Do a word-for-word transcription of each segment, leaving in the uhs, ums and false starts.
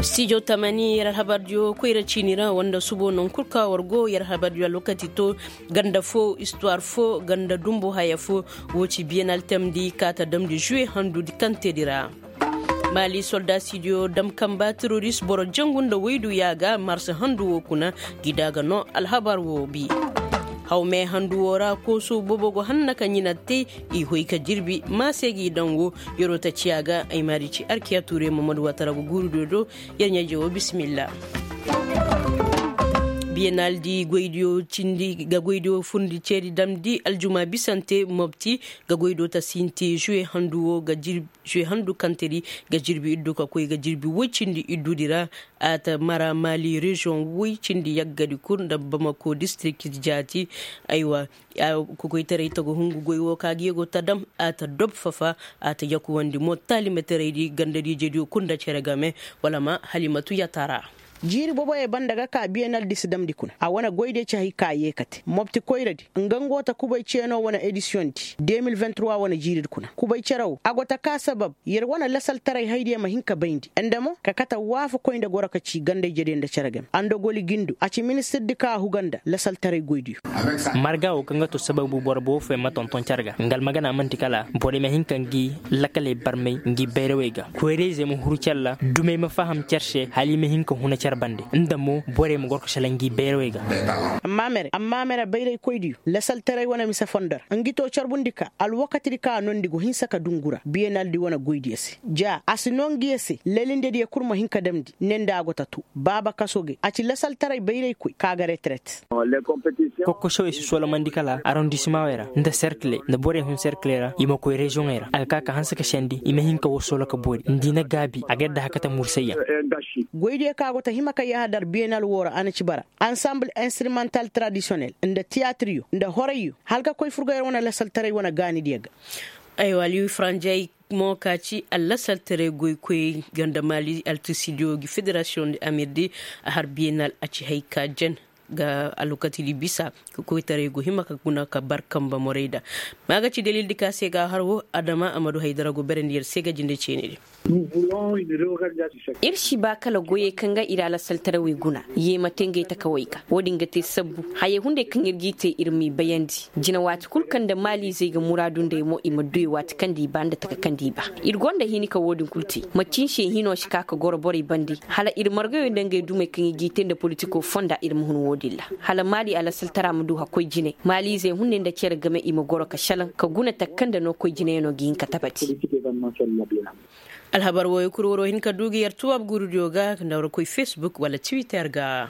Stijo tamani yer alhabardiyo koyra ciini ra wanda subo non kul ka war go yer alhabardiyo alwakati to, ganda fo istuwar fo ganda dumbu haya fo. Wo ci biyenal tamdi ka ta damdi žuwe handudi kantedi ra. Mali soldasidiyo dam kamba teroris boro jangu nda waydu yaaga marsa handu wo kuna. Gida ga no alhabar wo bi. Hawme handu wo ra kooso boobo go hanna ka ɲina te. I hoy ka jirbi ma se g'i daŋ wo. Yer'o ta ciya ga ay maari ci arkiya tuure mamadu watara go guuru do do. Yer ɲaaje wo bisimilla. Biyenal di goydiyo cindi ga goydiyo fundi ceeri damdi aljuma bisante mobti. Ga goydiyo ta sinti žuwe handu wo ga jirbi žuwe handu kantedi ga jirbi iddu ka koy ga jirbi woy cindi iddudi ra. A ta mara mali reziyoŋ woy cindi yaggadi kul nda bamako distirik jaati. Aywa. Kokoytaray ta go hungu goy wo ka ga yego ta dam a ta dob fafa. A ta yakuwandi mo taalimataraydi gandadiijediyo kul nda cere game. Wala ma halimatu yatara. Jiiri boboyey banda ga ka biyenal di si damndi kuna a wane goydiyo ci hay ka yee kate mobti koyradi nga nga go ta kubay ceeno wane edisiyoŋ di de mil vingt trois wane jiiridi kuna kubay cere wo a go ta ka sabab yer wane lasaltaray haydiyo ma hin ka bayndi nda mo ka kate waafakoy nda goro ka ci gandayjediyo nda cere game andogoli gindo a ci ministirdi ka a huga nda lasaltaray goydiyo. Marga wo kaŋ ga to sababu boro boobo fooyaŋ ma tonton care ga nga almagana man'ti kala borey ma hin ka ngi lakaley barmay ngi bayrawey ga koyrayzey ma huru care ra dumey ma faham care se hala i ma hin ka huna care bande nda mo borey ma goro ka sala ngi bayrawey ga. Amma mere amma mere bayraykoydiyo lasaltaray wane mise fondo ra ngi to carbundi ka alwakatidi ka a nondi go hinsa ka dungura biyenaldi wane goydiyo se ja a si noo ngiyo se lelindediyo kul ma hin ka damndi ne nda a go ta to baaba kaso gay a ci lasaltaray bayraykoy ka ga reteret. Kokkosewey si solomandi kala arondisimaŋey ra nda serkiley nda borey hun serkiley ra i ma koy reziyoŋey ra a ga ka ka hanse ka sendi i ma hin ka woo solo ka boori nda i na gaabi a ga yadda haka ta mursayyaŋ. Goydiyo ka go ta hima ka yahadar biyenal woo ra a na ci bara ansamble instrumental tradisiyonel nda tiyaatiryo nda horayyo hala ka koy furgoyer wane lasaltaray wane gaanidiyo ga. Aywa aliyu faranjay mo ka ci allasaltaray goykoy ganda mali altisidiyo gi federasiyoŋ di amirdi a har biyenal a ci hay ka jen ga alwakatidi bisa ka koytaray go hima ka guna ka bar kamba morayda. Ma ga ci dalildi ka se ga har wo adama a ma du haydara go berandi yer se ga jinde ceenedi. Ir si ba kala goyey kaŋ ga ir alasaltarawey guna yeema te ngey takawey ga wo-din ga te sabbu hayey hunday kaŋ ir g'i te ir m'i bayandi jina waati kul kaŋ nda maaliizey ga muraadu nd'ey mo i ma duy waati kaŋ nda i ba nda taka kaŋ nda i ba. Ir gonda hini ka wo-din kul te macin se hino si ka ka goro borey bande hala ir margayo nda ngey dumey kaŋ i g'i te nda politiko fonda ir ma hun wo-din ra hala maali alasaltara ma du hakkoy jinay maaliizey hunday nda cere game i ma goro ka salaŋ ka guna taka kaŋ nda no koy jinayaŋo ga hin ka tabati. Alhabar wooyo kul war wo hin ka du ga yer tuwab guurudiyo ga nda war koy fesbuk wala tiwitter ga.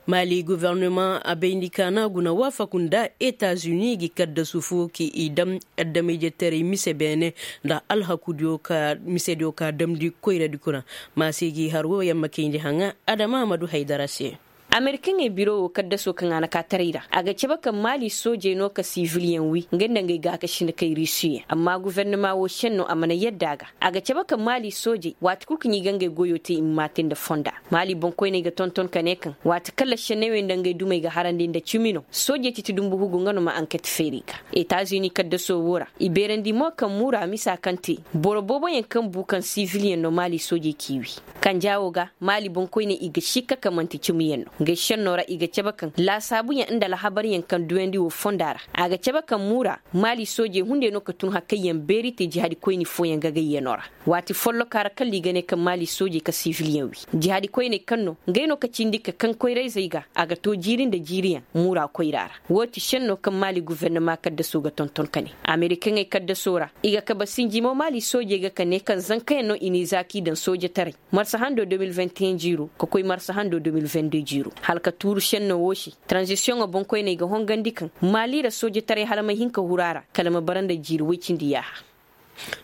Mali guvernemaŋ a bayndi kaana guna waafaku nda etazuni gi kaddasu fo ki i dam addamayjetaray mise beene nda alhakudiyo ka misediyo ka damndi koyradi kuna. Ma se gi har wo yamma kayndi haŋa adama ma du haydara se. Amerikaŋey biro wo kaddaso kaŋ a na ka taray ra a ga cabe kaŋ maali soojey no ka sibiliyeŋ wi nga nda ngey gaakasinakey rusiyeŋ amma gufernama wo šenno a mana yadda a ga. A ga cabe kaŋ maali soojey waati kul kaŋ i ga ngey goyo te i ma maate nda fonda. Maali boŋkoyney ga tonton ka ne kaŋ waati kaŋ lašenney wey nda ngey dumey ga harandi nda cimi no soojey titi dumbu hugu nga no ma anket feeri ga. Etazini kaddaso wo ra i beerandi mo kaŋ muura misa kaŋ te boro booboyaŋ kaŋ bu kaŋ sibiliyeŋ no maali soojey k'i wi. Kanja wo ga maali boŋkoyney i ga sikka ka manti cimiyaŋ no ngey šenno ra i ga cabe kaŋ laasaabuyaŋ nda alhabaryaŋ kaŋ duyandi wo fonda ra. A ga cabe kaŋ muura maali soojey hunday no ka tun hakayyaŋ beeri te jihaadikoyni fooyaŋ gagayyano ra. Waati folloka ra kala i ga ne kaŋ maali soojey ka sibiliyaŋ wi jihaadikoyney kaŋ no ngey no ka cindi ka kaŋ koyrayzey ga a ga to jiiri nda jiiriyaŋ muura koyra ra. Wo ti šenno kaŋ maali gufernama kaddaso ga tonton ka ne amerikaŋey kaddaso ra i ga kabe sinji mo maali soojey ga ka ne kaŋ zankayaŋ no i n'i za k'i daŋ soojetaray marsa hando deux mille vingt et un jiiro ka koy marsa hando deux mille vingt deux jiiro hala ka tuuru šenno wo se. Taranzisiyoŋo boŋkoyney ga hongandi kaŋ maali ra soojetaray hala ma hin ka huru a ra kala ma bara nda jiiri woy cindi yaaha.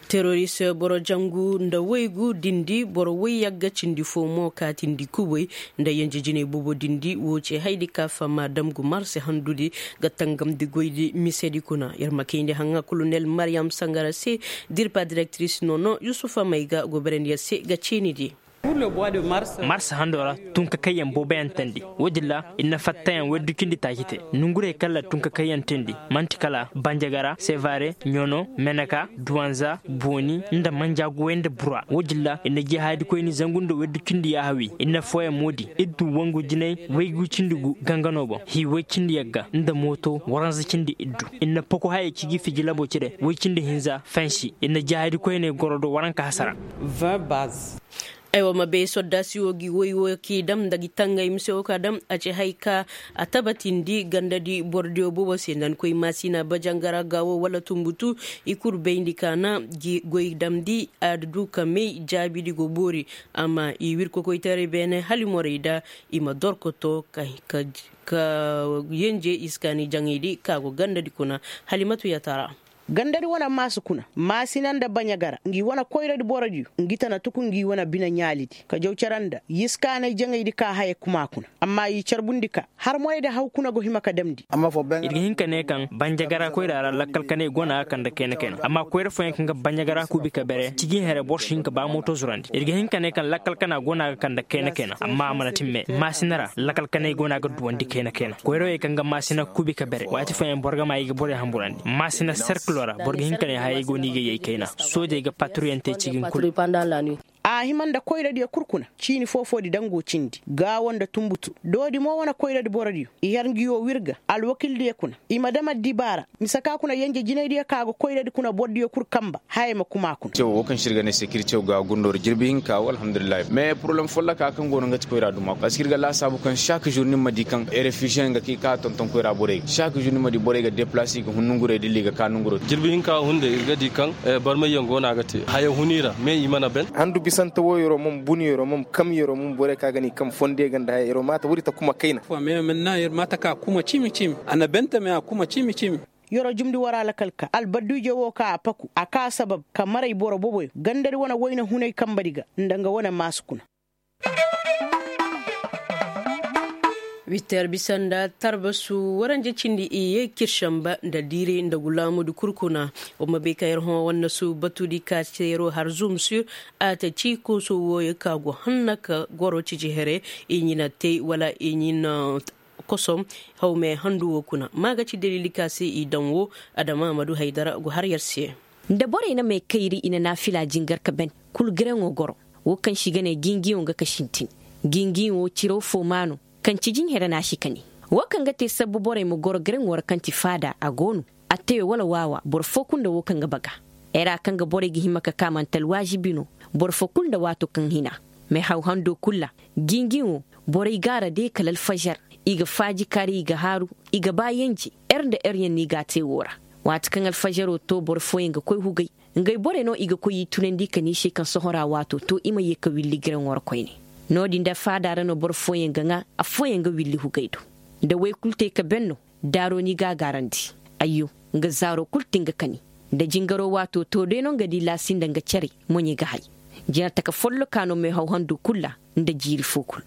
Teroris boro jangu nda waygu dindi boro wayyagga cindi fo mo kaatindi kubay nda yenje jinay boobo dindi wo ce haydi ka fama damgu marse handudi ga tangamndi goydi misedi kuna yer ma kayndi haŋa kolonel mariyam sangara se. Dirpa direktiris nono yusufa mayga goberandi yer se ga ceenidi. Mars hando ra, tunkakayyaŋ booboyaŋ teendi. Wo-din ra, ir na fattayaŋ waydu cindi taaci te. Nongurey kaŋ ra tunkakayyaŋ teendi, man'ti kala banjagara, sevare, ɲono, meneka, duwanza, booni, nda manja goyey nda bura. Wo-din ra, ir na jihaadikoyni zangu nda waydu cindi yaahawi. Ir na fooyaŋ moodi, ir du wangu jinay waygu cindi gu gangano boŋ, hii way cindi yagga nda mooto waranza cindi ir du. Ir na poko hayey ciji fiji labo cire, way cindi hinza fansi. Ir na jihaadikoyney goro do waranka hasara. Aywa ma bay soddaasi wo gi woy wo k'i dam nda gi tangay mise wo ka dam a ci hay ka a tabatindi gandadi borodiyo boobo se nda ni koy maasina bajangara ga wo wala tunbutu. I kul bayndi ka na gi goy damndi a du ka may jaabidi go boori. Amma i wir kokoytaray beene hala i morey da i ma dorkoto ka yenje i si kaani jaŋaydi ka go gandadi kuna. Halimatu yatara. Gandadi wane maasu kuna maasina nda baɲagara ngi wane koyradi borodiyo ngi tana tuku ngi wane bine ɲaalidi ka jaw cere nda yiskaanay jaŋaydi ka haya kuma kuna. Amma i carbundi ka har moyadi haw kuna go hima ka damndi. Ir ga hin ka ne kaŋ banjagara koyra ra lakkal kanay go no a ga kande kayna kayna amma koyra fooyaŋ kaŋ ga banjagara kuubi ka bere ciji here boro si hin ka ba mooto zurandi ir ga hin ka ne kaŋ lakkal kana go no a ga kande kayna kayna amma a mana timme maasina ra lakkal kanay go no a ga duwandi kayna kayna koyrawey kaŋ ga maasina kuubi ka bere waati fooyaŋ boro ga ma i ga borey hamburandi maasina serkilo ra boro ga hin ka ne hayey go no i ga yay kayna soojey ga paturuyante cigin kulu. A hima nda koyradiyo kul kuna ciini foo-foodi daŋ go cindi gaawo nda tunbutu doodi mo wane koyradi borodiyo i har ngi woo wirga alwakildiyo kuna i ma dam addibaara mise ka kuna yenje jinaydiyo ka go koyradi kuna borodiyo kul kamba haya ma kuma kuna. Woo kaŋ se ir ga ne sekiritew ga gundoo ra jirbi hinka woo alhamdulillahi mais poroblem folloka kaŋ go no nga ti koyra duma parceque ir ga laasaabu kaŋ saak zur ni ma di kaŋ refiziyeŋ ga ka i ka tonton koyra borey ga saak zur ni ma di borey ga deplase i ga hun nongurey dilla i ga ka nongurey. Jirbi hinka hunday ir ga di kaŋ barmayyaŋ go no a ga te haya hun i ra mais i mana ben. Handu bisante wo yeroo mom bun yeroo mom kam yeroo mom borey kaŋ a ga ni kam fondo ga nda haya yeroo maata wuri ta kuma kayna. Maata ka kuma cimi cimi a na bentame a kuma cimi cimi. Yeroo jumndi wara lakal ka albadduuje wo ka a paku a ka sabab ka maray boro boboyo gandadi wane wayna hunay kambadi ga nda nga wane maasu kuna. Witer bisa nda tarbasu waranje cindi i ye kir samba nda diiray nda gulaamu di kul kuna. Wa ma bay ka yer hõ wannasu batu di ka se yeroo har zum sur a ta ci kooso wooyo ka go hanna ka goro ciji here i ɲina tey wala i ɲina kosom. Hawme handu wo kuna ma ga ci dalili ka se i daŋ wo adama ma du haydara go har yer se. Nda borey na may kayri i na naafila jingar ka ben kul garaŋo goro wo kaŋ se i ga ne gingiyo nga ka sintin. Gingiyo wo ciraw fo maa no kaŋ ci jinhere na a si kani. Wo kaŋ ga te sabbu borey ma goro garaŋo ra kaŋ ti faada a go no. Attayo wala waawa boro foo kul nda wo kaŋ ga baga. Era kaŋ ga borey ga hima ka ka man'ti alwaazibi no. Boro foo kul nda waato kaŋ hina mehaw hando kul ra. Gingiŋo borey gaara de kala alfažar i ga faaji kari i ga haaru i ga ba yenje. Er nda eryaŋ no i g'a te woo ra. Waati kaŋ alfažaro to boro fooyaŋ ga koy hugay. Ngey borey no i ga koy i tunandi ka ne i se kaŋ sohõ ra waato to i ma ye ka willi giraŋo ra koyne. No-din da faada ra no boro fooyaŋ ga ŋaa affooyaŋ ga willi hugay do. Da woy kul te ka ben no. Daaro ni ga a gaarandi. Ayyo, nga zaaro kul ti nga kani. Nda jingaro waato to day no nga di laasi nda nga cere moɲey ga hay. Jinataka folloka no meehaw handu kul ra nda jiiri foo kul.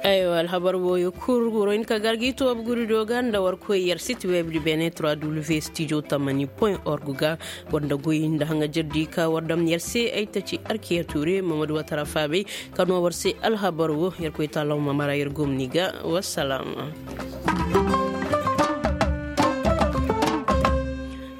Aywa alhabar wooyo kul goro hin ka gar gi toobu guri do ga nda war koy yer siti web di bene trois w studio tamani point org ga. War nda goy nda haŋajer di ka war dam yer se ay taci arkiya tuure mamadu watara faabey. Ka no war se alhabar wo yer koy taalaw ma mara yer gomni ga. Wassalam.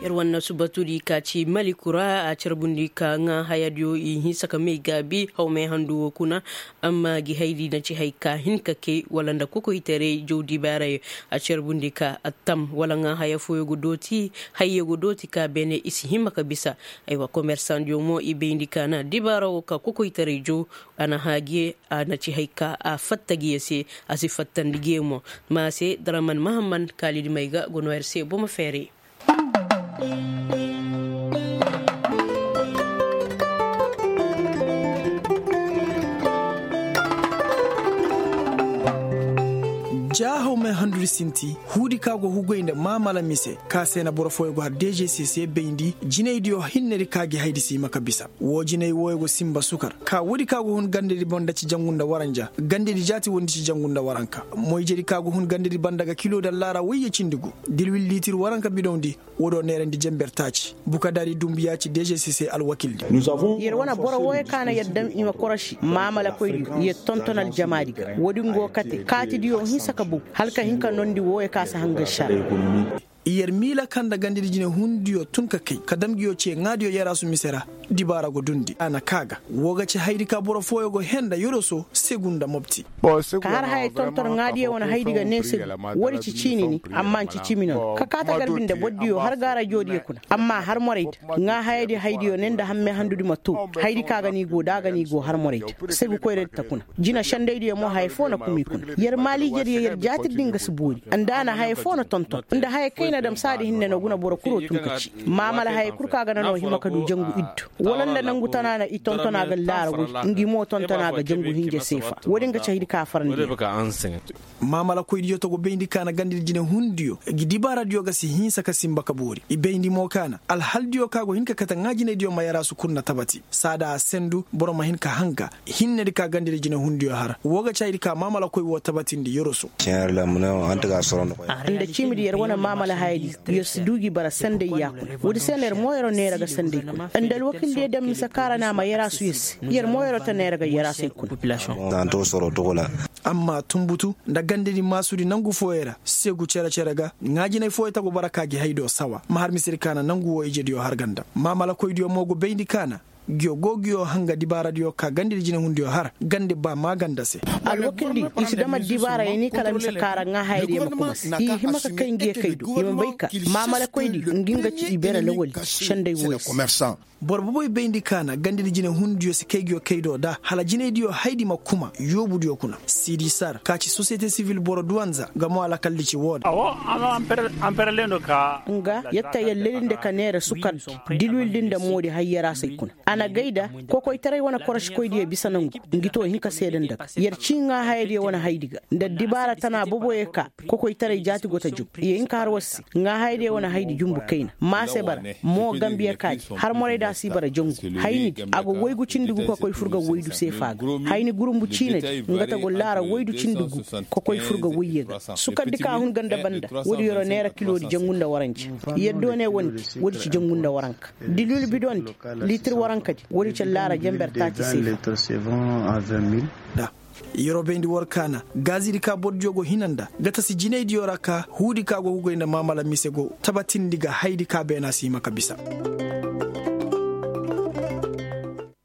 Yer wanna subatudi ka ci maliku ra a carbundi ka ŋaa hayadiyo i hinsa ka may gaabi hawmay handu wo kuna. Amma gi haydi na ci hay ka hin ka kay wala nda kokoytaray jaw dibaaray. A carbundi ka attam wala ŋaa haya fooyo go dooti hayyo go dooti ka beene i si hima ka bisa. Aywa komersandiyo mo i bayndi ka na dibaara wo ka kokoytaray jaw. A na haagiye a na ci hay ka a fatta giye se. A si fattandi giye mo. Ma se daraman mahamman kaalidi may ga go no yer se bomo feere. Jaahaw may. Duri sinti huudi ka go hugay nda maamala mise ka se na boro fooyo go har dgcc bayndi jinaydiyo hinnedi ka gi haydi si hima ka bisa. Woo jinay wooyo go sinba sukar ka woodi ka go hun gandedi banda ci jangu nda waranja gandedi jaati woodi ci jangu nda waranka. Moyjedi ka go hun gandedi banda ga kilo nda laara woyye cindi gu dilwil liitir waranka bidawndi. Woodiyo neerandi jenber taaci bukadaari dunbuyaa ci dgcc alwakildi. Yer wane boro wooyo ka na yer daŋ i ma koroši maamalakoydiyo yer tonton aljamaadi ga woodi ngo kate kaatidiyo hinsa ka bow hala ka hin ka noondi wooyo ka si hangan šara. Yer miila ka nda gandedi jinehundiyo tun ka kay ka dam nguyo cee ŋaadiyo yaraasu mise ra. Dibaara go duundi a na kaa ga. Woo ga ci hayadi ka boro fooyo go hee nda yoroso segu nda mopti. Ka har hayey tonton ŋaadiyo wane hayadi ga nee segu. Woodi ci ciini ni amma nci cimi noon ka kaa tagarbi nda bordiyo har ga rajoodiyo kuna. Amma har moraydi ŋaa hayadi hayadiyo ne nda hamme handudi ma too. Hayadi ka ga ni go da a ga ni go har moraydi. Segu koyradi ta kuna. Jina sendaydiyo mo haya foo na kuma i kuna. Yer maaliijediyo yer jaatirdi nga si boori. Nda a na haya foo na tonton nda haya kay na dam saadi hinne no guna boro kuloo tun ka ci. Maamala haya kul ka ga na noo hima ka duu jangu iddu. Wala nda nangu tana na i tonton a ga laara woy. Ngi mo tonton a ga jangu hinja seefa. Woodi nga ci hayadi ka farandi. Maamalakoydiyo togo bayndi ka na gandedi jinehundiyo. Ngi dibaaradiyo ga si hinsa ka sinba ka boori i bayndi mo ka na alhaldiyo ka go hin ka kate ŋaajinaydiyo ma yaraasu kul na tabati saada a sendu boro ma hin ka hanga. Hinnedi ka gandedi jinehundiyo har woo ga ci hayadi ka maamalakoy woo tabatindi yoroso. Nda ciimidi yer wane maamala hayadi. Yer si duu gi bara senday yaakuna woodi se na yer mo yeroo neera ga senday kuna nda alwakildiyo daŋ mise ka ra na a ma yaraasu yer se. Yer mo yeroo ta neera ga yaraasey kuna. Amma tunbutu nda gandedi maasudi nangu fooyey ra segu cere-cere ga ŋaajinay fooyey ta go bara ka gi haydiyo sawa ma har misedi ka na nangu woo ijediyo har ga nda maamalakoydiyo mo go bayndi ka na. Nguyo go nguyo hanga dibaaradiyo ka gandedi jinehundiyo har gande ba maaganda se. Alwakildi i si dam addibaara ya ni kala mise ka ra ŋaa hayadiyo ma kuma se i hima ka kay nguyo kay do i ma bay ka maamalakoydi ngi nga ci i beere lawaldi. Senday wooyo se. Boro boboy bayndi ka na gandedi jinehundiyo si kay nguyo kay do da hala jinaydiyo hayadi ma kuma yoobudiyo kuna siidi sar ka ci sosiyete sivil boro duwanza nga mo alakaldi ci woo da. Nga yer ta yer lelinde ka neera sukarndi dilwildi nda moodi hayyaraasey kuna. A na gay da kokoytaray wane korošikoydiyo bisa nangu. Ngi too hin ka seeda nda ga yer cii ŋaa hayadiyo wane hayadi ga nda dibaara tana boboyo ka kokoytaray jaati go ta jub. Ye hin ka har war se ŋaa hayadiyo wane hayadi jumbu kayna maase bara. Mo gambiya kaadi har morayda si bara jangu. Haynidi a go woygu cindi gu ka koy fur ga woydu seefa ga. Hayni gurumbu ciinadi nga ta go laara woydu cindi gu ka koy fur ga woyye ga. Sukardi ka hun ganda banda woodi yeroo neera kiloodi jangu nda waranja. Yer doone wondi woodi ci jangu nda waranka. Dilwil bidondi liitir warankadi woodi ci laara jenber taati seefa. Yeroo bayndi war ka na gaazidi ka bordiyo go hina nda ga tasi jinaydiyo ra ka huudi ka go hugay nda maamala mise go tabatindi ga hayadi ka beena si hima ka bisa.